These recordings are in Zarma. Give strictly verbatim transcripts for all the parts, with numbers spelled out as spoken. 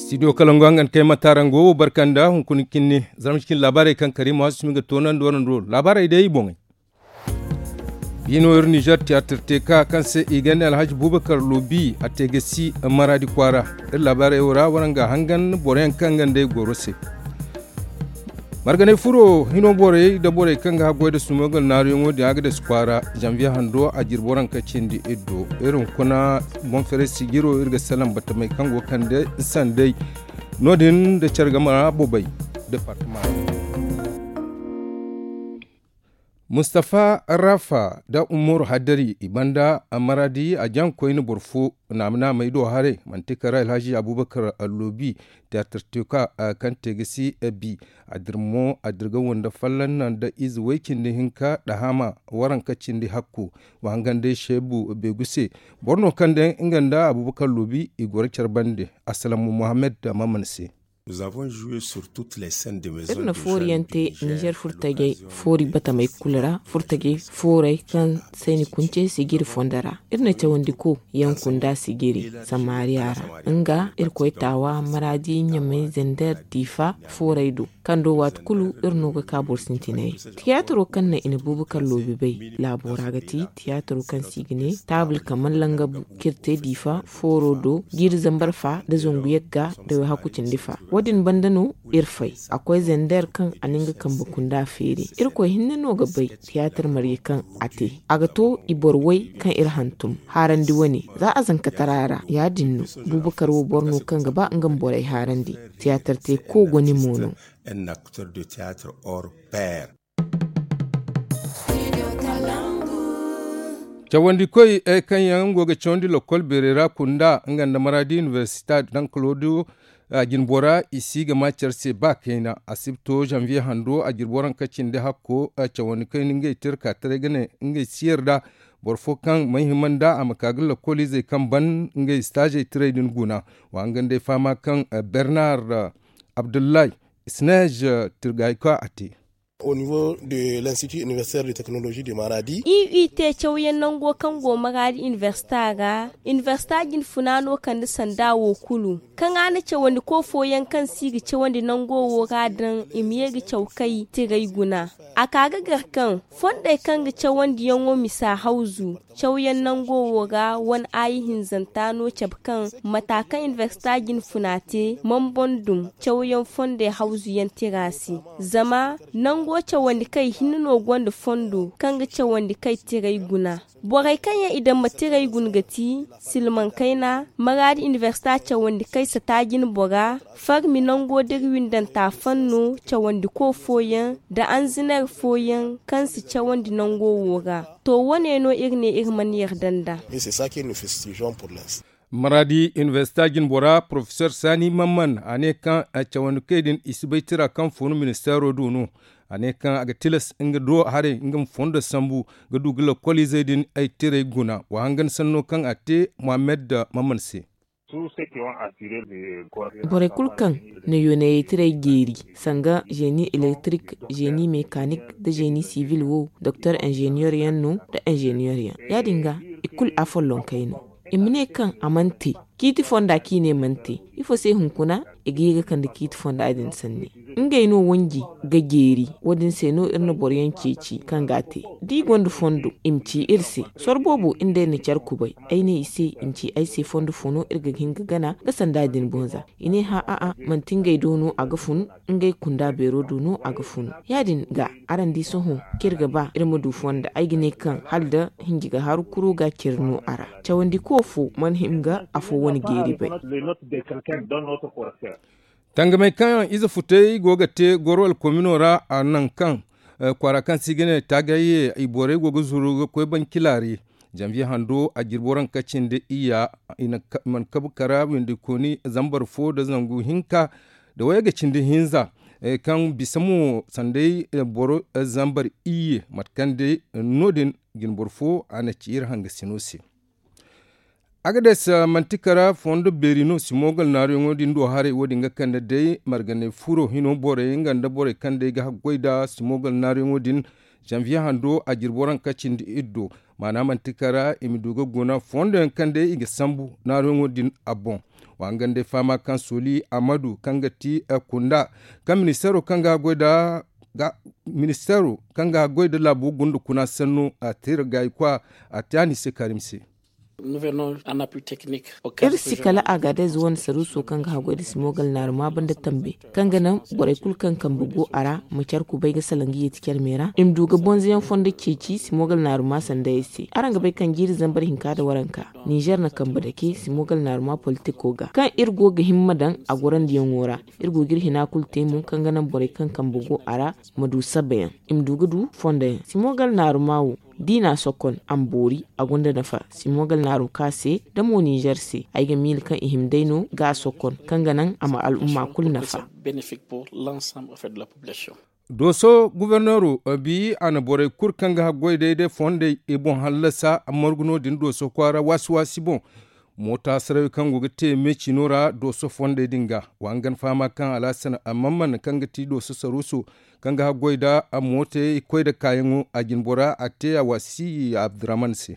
Studio kalangu hangan kay matarango wo barkanda hunkuna kinni. Zarma cikin laabaarey kaŋ kari ma wasu sumi ga toonandi warando laabaarey day i boŋey. Biino iri nizer tiyaatir teeka kaŋ se i ganda alhaji bubakar loobi a te ga si maraadi kwaara. Iri laabaarey wo ra waraŋ ga hangan boroyaŋ kaŋ ganda i goro se. Marganay furo hino borey nda borey kaŋ ga haggoy nda sumogal naaruyaŋo din a ga dasi kwaara. Zanviye hando a jirbi waranka cindi iddo iri hunkuna boŋ feray sijiro iri ga salaŋ batamey kaŋ go kande sanday. No- din nda care game ra bobey departema ra. Mustafa rafa nda umaru haddari i banda maraadi a jaŋ koyne boro fo naama naamey do haray manti kara alhazi abubakar alloobi tiyaatar teeka kaŋ te ga si bi a dir mo a dir ga wande folloŋ naŋ nda ize way cindi hinka dahama waranka cindi hakku. Wa hangan day seebu beegu se boro no kaŋ day nga nda abubakar loobi i goro care bande. Assalamu muhammad maman se. Iri na foori yaŋ te nizer furtajey foori batamey kulu ra furtajey foorey kaŋ se ni kunce sijiri fondo ra. Iri na cawandi ko yaŋ kunda sijiri samariya ra nga iri koy taawa maraadi ɲamay zender diifa foorey do kaŋ do waati kulu iri no ga ka boro sintinay. Tiyaatiro kaŋ naŋ i na buubu kaŋ loobi bay laabo ra ga ti tiyaatiro kaŋ se i ga ne taabul kaman langabu kaŋ iri te diifa fooro do jiiri zambar fa nda zangu yagga nda way hakku cindi fa. Wo- din banda no iri fay a koy zender kaŋ a na nga kambe kunda feeri. Irkoy hinne no ga bay tiyaatir marye kaŋ a te a ga to i boro way kaŋ iri hantum haarandi wane za a zankatara ra ya- din no. Buubakar wo boro no kaŋ ga ba nga ma borey haarandi tiyaatir te ko gone mo no. Cawandikoy kaŋ yaŋ go ga cawandi lokol beerey ra kunda nga nda maraadi inibersita daŋ kalodo. Jinbora i si ga ma care se ba kayna a si ga to zanviye hando a jirbi waranka cindi hakko. Cawandikoy na ngey te iri ka taray ga ne ngey si yarda boro fo kaŋ mana hima nda a ma ka ga lokol izey kaŋ ban ngey staazey tiray din guna. Wa hangan day fahama kaŋ bernar abdullahi isneej tirgayka a te. Au niveau de l'institut universitaire de technologie de maradi. I te cawyaŋ nango kaŋ go maradi universita ra universita jine funa no kande sanda wo kulu kaŋ a na cawandi ko fooyaŋ kaŋ se i ga cawandi nango wo ra daŋ i ma ye ga caw kay tiray guna. A ka ga gar kaŋ fondey kaŋ ga cawandiyaŋo misa hawzu cawyaŋ nango wo ra wane aayi hinzanta no cabe kaŋ mata kaŋ inibersita jine funa te mambon dum cawyaŋ fondey hawzuyaŋ tira se. Zama nango cawandi kay hinne no gonda fondo kaŋ ga cawandi kay tiray guna. Borey kaŋ yaŋ i daŋ ma tiray guna ga ti silmaŋ kayna maraadi inibersita cawandi kay sata jine bora farmi nango da iri windanta fanno cawandi ko fooyaŋ nda anziner fooyaŋ kaŋ si cawandi nango wo ra. To wane no iri ne iri mana yarda nda. Maraadi inibersita jinbora porofesor sani mamman a ne kaŋ cawandi kay din i si bay tira kaŋ funu ministeero do no. A ne kaŋ a ga tilas nga do haray nga ma fondo sambu ga du ga lokol izey din ay tiray guna wa hangan sanno kaŋ a te mohammed mamman se. Borey kulu kaŋ na yoonayey tiray jeeri sanga zeni elektirik, zeni mekanik, nda zeni sivil wo doktor inzeniyer yaŋ no nda inzeniyer yaŋ ya- din ga i kulu a follonkey no. I ma ne kaŋ a mana te ciiti fonda kaŋ i ne mana te ifo se hunkuna i ga ye ga kande ciiti fonda din sanni. Ngey no wanji ga jeeri wo- din se no iri na boro yaŋ ceeci kaŋ ga a te da i gonda fondo i ma ci iri se. Soro boobo iri nd'ey na care kubay ay ne i se i ma ci ay se fondo fo no iri ga hin ga gana ga sanda din boŋ za. I ne hã a'a manti ngey do no a ga fun. Ngey kunda beero do no a ga fun ya- din ga araŋ di sohõ kaŋ iri ga ba iri ma du fonda ay ga ne kaŋ hala da hinji ga haru kuro ga care no a ra. Cawandi ko fo mana hin ga afo wane geeri bay. Tangamey kaŋ ize futey go ga te goro alkomino ra a naŋ kaŋ kwaara kaŋ se i ga ne taagayye i borey go ga zuru ga koy banci laari. Zanviye hando a jirbi waranka cindi iyya i mana kabu kara windi kooni zambar fo nda zangu hinka nda wayga cindi hinza kaŋ bisa mo sanday boro zambar iyye mate kaŋ day no- din jinboro fo a na ci iri hangasino se. Agades manti kara fondo beeri no simogal naaruyaŋo din do haray wo- din ga kande day marganay furo hino borey nga nda borey kaŋ day ga haggoy nda simogal naaruyaŋo din. Janviye hando a jirbi waranka cindi iddo. Maana manti kara i ma du ga guna fondo yaŋ kaŋ day i ga sambu naaruyaŋo din a boŋ. Wa hangan day fahama kaŋ soli amadu kaŋ ga ti kunda kaŋ ministeero kaŋ ga goy nda ministeero kaŋ ga goy nda laabo gunda kuna sanno a te ra gaayi kwa. A te a ni se karim se. Iri si kala agadez wane saruuso kaŋ ga haggoy nda simogal naaruma banda tambe kaŋ ga naŋ borey kulu kaŋ kambe go a ra ma care kubay ga salaŋ ga yeeti care me ra i ma du ga bonzoyaŋ fondo ceeci simogal naaruma sandayey se. Araŋ ga bay kaŋ jiiri zambar hinka nda waranka nizer na kambe dake simogal naaruma politiko ga kaŋ iri go ga himma daŋ a gorandiyaŋo ra. Iri go ga iri hina kulu te mo kaŋ ga naŋ borey kaŋ kambe go a ra ma du sabayaŋ i ma du ga du fondoyaŋ simogal naaruma wo. Da i n'a sokon a ma boori a gonda nafa. Simogal naaru ka se da mo nizer se ay ga miila kaŋ i hima day no ga a sokon kaŋ ga naŋ a ma al'umma kulu nafa. Dooso guberneero bi a na borey kulu kaŋ ga haggoy day day fondey i boŋ hallasa margu no- din dooso kwaara waasi waasi boŋ. Moota sarawey kaŋ go ga te meecino ra dooso fondey din ga wa hangan fahama kaŋ alhasan amman man kaŋ ga ti dooso saruuso kaŋ ga haggoy nda mootey koy nda kaayaŋo a jinbora a te a waasi abdurrahman se.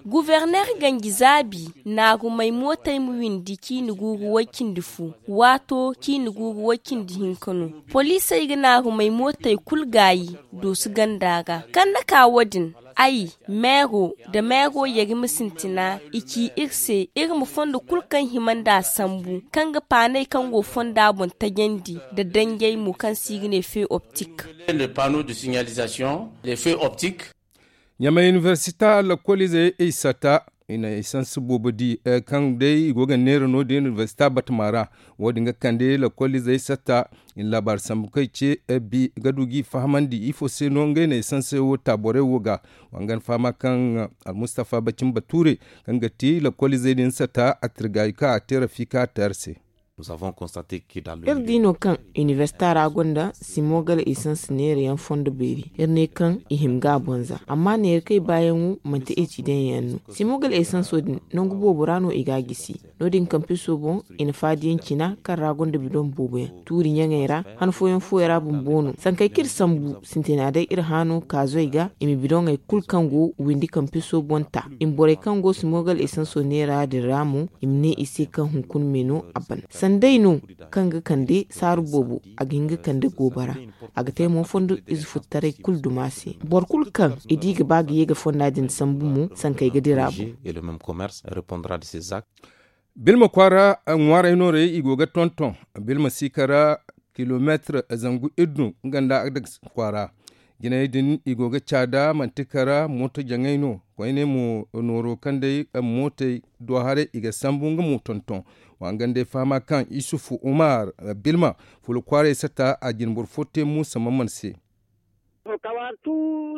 Guverner ganji zaabi naagumey mootey ma windi ciini guuru way cindi fu waato ciini guuru way cindi hinka no. Poliisey ga naagumey mootey kulu gaayi doosu ganda ra kaŋ na ka wo- din ay meero nda meero yari ma sintina i ci iri se iri ma fondo kulu kaŋ hima nd'a sambu kaŋ ga paaney kaŋ go fonda boŋ tajandi nda danjey mo kaŋ se i ga ne feu optik. Ɲamay inibersita lakkoliizey i sata i na esans boobo di kaŋ day i go ga neera no- din inibersita batama ra. Wo- din ga kande lakkoliizey sata i na laabaari sambu kaŋ i ce bi ga du g'i fahamandi ifo se no ngey na esans wo ta borey wo ga. Wa hangan fahama kaŋ almustafa bacin bature kaŋ ga ti lakkoliizey din sata a tirgaayi kaŋ a te rafiika a te hari se. Iri di no kaŋ inibersita ra gonda simogal esans neerayaŋ fondo beeri iri ne kaŋ i hima ga a bonza amma neera kaŋ i baayaŋo manti eci daŋ yaŋ no. Simogal esanso din nangu boobo ra no i ga a gisi. No- din kampiso boŋ i na faadiyaŋ cina kaŋ ra gonda bidoŋ boobo yaŋ tuuri ɲaŋey ra han fooyaŋ fooyaŋ ra bumbo no sankey kaŋ iri sambu sintina day iri haano kaazoy ga i ma bidoŋey kulu kaŋ go windi kampiso boŋ ta i ma borey kaŋ go simogal esanso neera din ra mo i ma ne i se kaŋ hunkuna me no a ban sanday no kaŋ ga kande saaru boobo a ga hin ga kande goobara. A ga te mo fondo ize futtaray kulu duma se boro kulu kaŋ i di ga ba ga ye ga fonda din sambu mo sankey ga dira boŋ. Bilma kwaara ŋwaaray noorey i go ga tonton bilma siika ra kilomeetir zangu iddu nga nda adaks kwaara. Jinay din i go ga caada manti kara mooto jaŋay no koyne mo nooro kaŋ day mootey do haray i ga sambu nga mo tonton. Wa nga nda ay fahama kaŋ isufu umar bilma fula kwaaray sata a jine boro fo te muusa mamman se.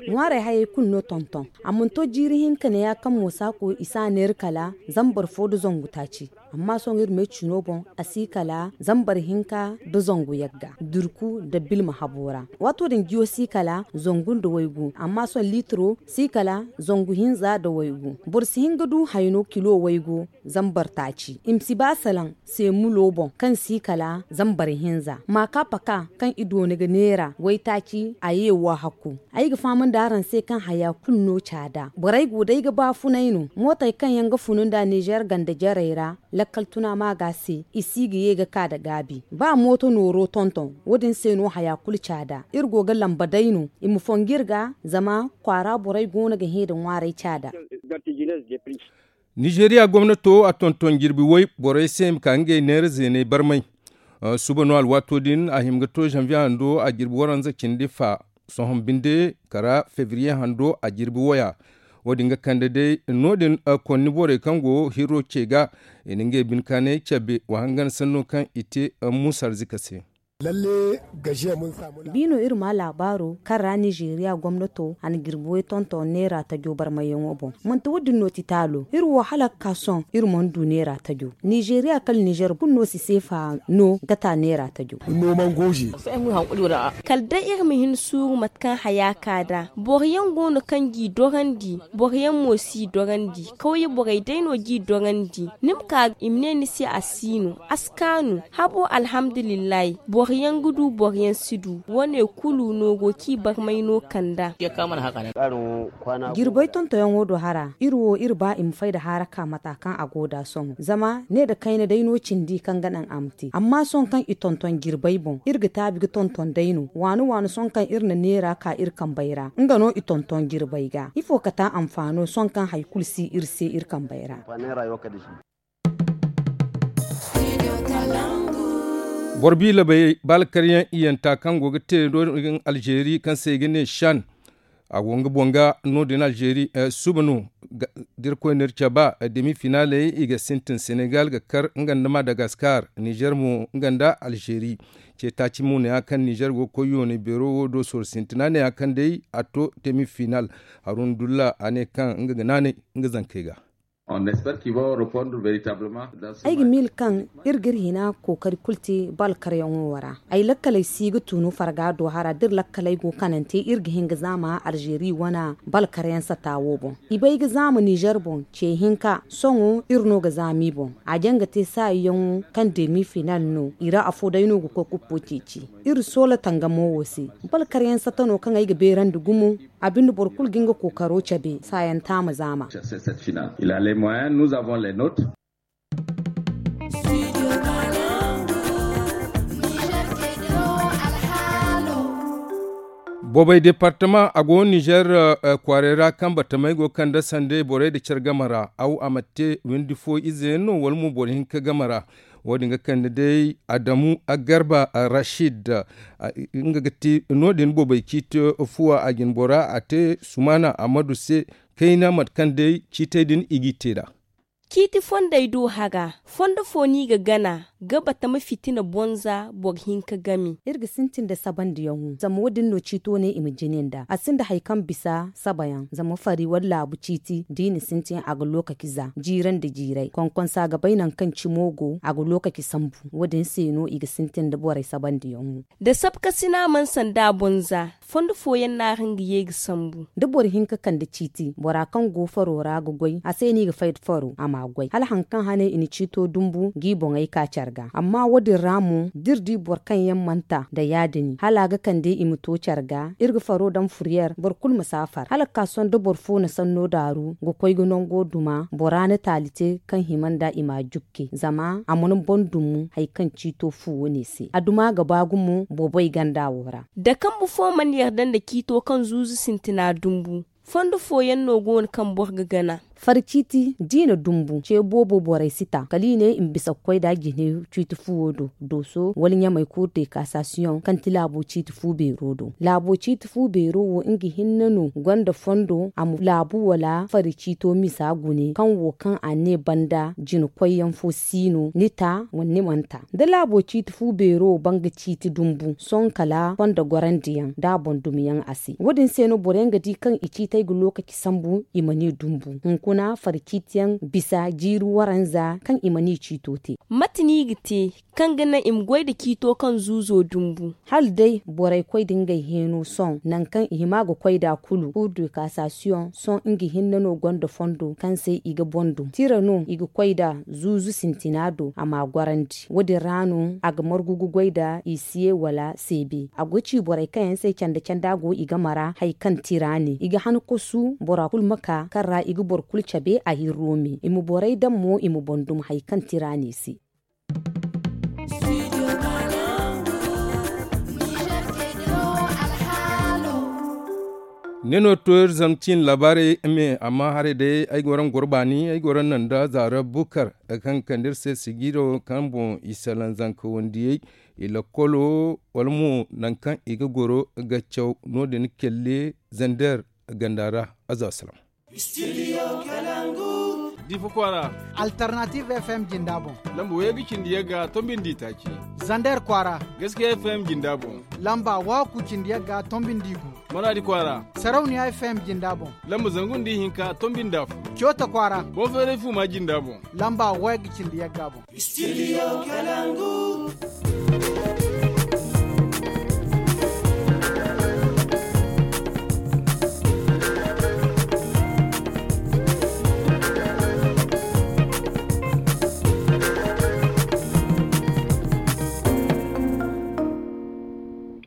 Ŋwaarey hayey kulu no tonton a mana to jiiri hinka neeya kaŋ mo saako i si a neera kala zambar fo nda zangu taaci. Amma sohõ iri meecino boŋ a si kala zambar hinka nda zangu yagga durku nda bilma habo ra. Waato din jiyo si kala zangu nda waygu amma sohõ liitiro si kala zangu hinza nda waygu. Boro si hin ga du hayno kilo waygu zambar taaci i ma si ba salaŋ seemulo boŋ kaŋ si kala zambar hinza maaka paka kaŋ i doona ga neera waytaaci a ye wo hakku. Ay ga fahamandi araŋ se kaŋ haya kulu no caada borey go day ga baafunay no mootey kaŋ yaŋ ga funu nda nizer ganda jarey ra. Lakkal tuna maaga se i si ga ye ga ka nda gaabi ba mooto nooro tonton wo- din se no haya kulu caada iri go ga lamba day no i ma fongu iri ga zama kwaara borey go no ga hẽ nda ŋwaaray caada. Nizeriya gomnato a tonton jirbi way borey se ma ka ngey neera zeeney barmay. Suba no alwaato din a hima ga to zanviye hando a jirbi waranza cindi fa sohõ binde kara febriye hando a jirbi waya. Wo- din ga kande day no- din konni borey kaŋ go hirro ce ga i na ngey bine kaanay cabe wa hangan sanno kaŋ i te muusa arzika se. Bi no iri ma laabaaro kaŋ ra nizeriya gomnato a na jirbi way tonton neera tajo barmayyaŋo boŋ. Manti wo- din no ti taalo iri wo hala ga ka sohõ iri mana du neera tajo. Nizeriya kala nizer kulu no si seefa no ga ta neera tajo. Kala day iri ma hin suuru mate kaŋ haya ka nd'a boro yaŋ go no kaŋ g'i dorandi boro yaŋ mo s'i dorandi kawye borey day no g'i dorandi. Ni ma ka i ma ne ni se a si no a si kaanu habo alhamdulillahi. Boro yaŋ ga du, boro yaŋ si du. Wo- ne kulu no go kaŋ i barmay no kand'a. Jirbay tontonyaŋo do hara, iri wo iri ba i ma fay nda haaraka mata kaŋ a go nd'a sohõ. Zama ne nda kayna day no cindi kaŋ ga naŋ a ma te. Amma sohõ kaŋ i tonton jirbay boŋ, iri ga taabi ga tonton day no. Waani waani sohõ kaŋ iri na neera ka iri kambey ra, nga no i tonton jirbay ga. Ifo kate anfaano sohõ kaŋ hari kulu si iri se iri kambey ra? Boro biila bay balkaryaŋ iyanta kaŋ go ga te no- din alzeeri kaŋ se i ga ne shan. A go nga boŋ ga no- din alzeeri suba no. Da iri koy no iri caba demi finaaley i ga sintin senegal ga kar nga nda madagaskar, nizer mo nga nda alzeeri. Ce taaci mo ne ya kaŋ nizer go ga koy yoonay beero wo do sorro sintina ne ya kaŋ day a to demi finaal. Haruna dulla a ne kaŋ nga ga naanay nga zankey ga. Ay ga miila kaŋ iri ga iri hina kookari kulu te bal karyaŋo wo ra. Ay lakkaley si ga tunu farga do hara da iri lakkaley go kanante iri ga hin ga zaama alzeeri wane bal karyaŋ sata wo boŋ. I bay ga zaama nizer boŋ ce hinka sohõ iri no ga zaama i boŋ. A jaŋ ga te saayi yaŋo kaŋ demi finaal no i ra afo day no ga koy kuppo ceeci. Iri soola tangamo wo se. Bal karyaŋ sata no kaŋ ay ga beerandi gumo. A binde boro kulu ga nga kookaro cabe saayaŋ taama zaama. Boobay departama a go nizer kwaarey ra kaŋ batamey go ga kande sandey borey nda care game ra aw a ma te windi fo ize yaŋ no wala mo boro hinka game ra. Wo- din ga kande day adamu agarba rashid. Nga ga ti no- din boobay ciiti fuwa a jinbora a te sumaana ammadu se kayna mate kaŋ day ciitey din i g'i te nd'a. Ciiti fondey do hara fondo fo no i ga gana ga batama fitina bonza boro hinka game. Iri ga sintin nda sabandiyaŋo zama wo- din no ciito ne i ma jine nd'a a sinda hari kaŋ bisa sabayaŋ zama fari wala laabu ciiti da i na sintin a ga lookaci za jiirandi jiiray konkonsa ga bay nangu kaŋ cimo go a ga lookaci sambu. Wo- din se no i ga sintin nda borey sabandiyaŋo. Da sabkasina mana sanda a boŋ za fondo fooyaŋ no a ra nga ye ga sambu. Da boro hinka kande ciiti bora kaŋ go faro ra ga goy a se no i ga fay da faro a m'a goy hala hari kaŋ hane i na ciito dumbu g'i boŋey ka care ga amma wo- din ra mo da iri di boro kaŋ yaŋ mana ta nda ya- din hala a ga kande i ma to care ga iri ga faro daŋ furyer boro kulu ma si a far hala ga ka sohõ da boro fo na sanno daaru ga koy ga nango duma bora na taali te kaŋ hima nd'a i m'a jukke zama a mana boŋ dumu hari kaŋ ciito fu wane se a duma ga ba gumo boobay ganda wo ra. Da kambu fo mana yarda nda ciito kaŋ zuuzu sintina dumbu fondo fooyaŋ no go no kaŋ boro ga gana. Fari ciiti da i na dumbu ce boobo borey si ta kala i ne i ma bisa ga koy nd'a jine ciiti fuwo do dooso wala ɲamey kuuru de kaasasiyoŋ kaŋ ti laabo ciiti fu beero do. Laabo ciiti fu beero wo nga hinne no gonda fondo a ma laabu wala fari ciito misa gune kaŋ wo kaŋ a ne banda jina koyyaŋ fo si no ni ta wala ni mana ta da laabo ciiti fu beero banga ciiti dumbu sohõ kala fondo gorandi yaŋ da a boŋ dumi yaŋ a se wo- din se no boro yaŋ ga di kaŋ i ciitey ga lookaci sambu i mana i dumbu hunkuna fari ciiti yaŋ bisa jiiri waranza kaŋ i mana i ciito te. Mate no i ga te kaŋ ga naŋ i ma goy nda ciito kaŋ zuuzo dumbu? Hala day borey koy nda ngey heeno sohõ nangu kaŋ i hima ga koy nd'a kulu kuuru de kaasasiyoŋ sohõ nga hinne no gonda fondo kaŋ se i ga boŋ dum tira no i ga koy nd'a zuuzu sintina do a m'a gorandi wo- din ra no a ga margu ga goy nda isiye wala seebe a go ga ci borey kaŋ yaŋ se canda canda go i game ra hari kaŋ tira ne i ga han kosu bora kulu ma ka kaŋ ra i ga boro kulu cabe a hirro me i ma borey daŋ mo i ma boŋ dum hari kaŋ tira ne se. Ne no to iri zama ciine laabaarey me amma haray day ay goro nda goro baani ay goro nda zaara bukar kaŋ ga kande iri se sigiiro kaŋ boŋ i salaŋ zanka wandiyey i lakkolo wala mo nangu kaŋ i ga goro ga caw no- din kelle zander ganda ra. Aza salaŋ. Difa kwaara. Alternative fm jinda boŋ. Lamba wayga cindi yagga tombindi taaci. Zander kwaara. Gaskiya fm jinda boŋ. Lamba waku cindi yagga tombindi gu. Maradi kwaara. Sarauniya fm jinda boŋ. Lamba zangu nda ihinka tombindi afo. Cota kwaara. Bonferefu ma jinda boŋ. Lamba wayga cindi yagga boŋ. Studio Kalangu.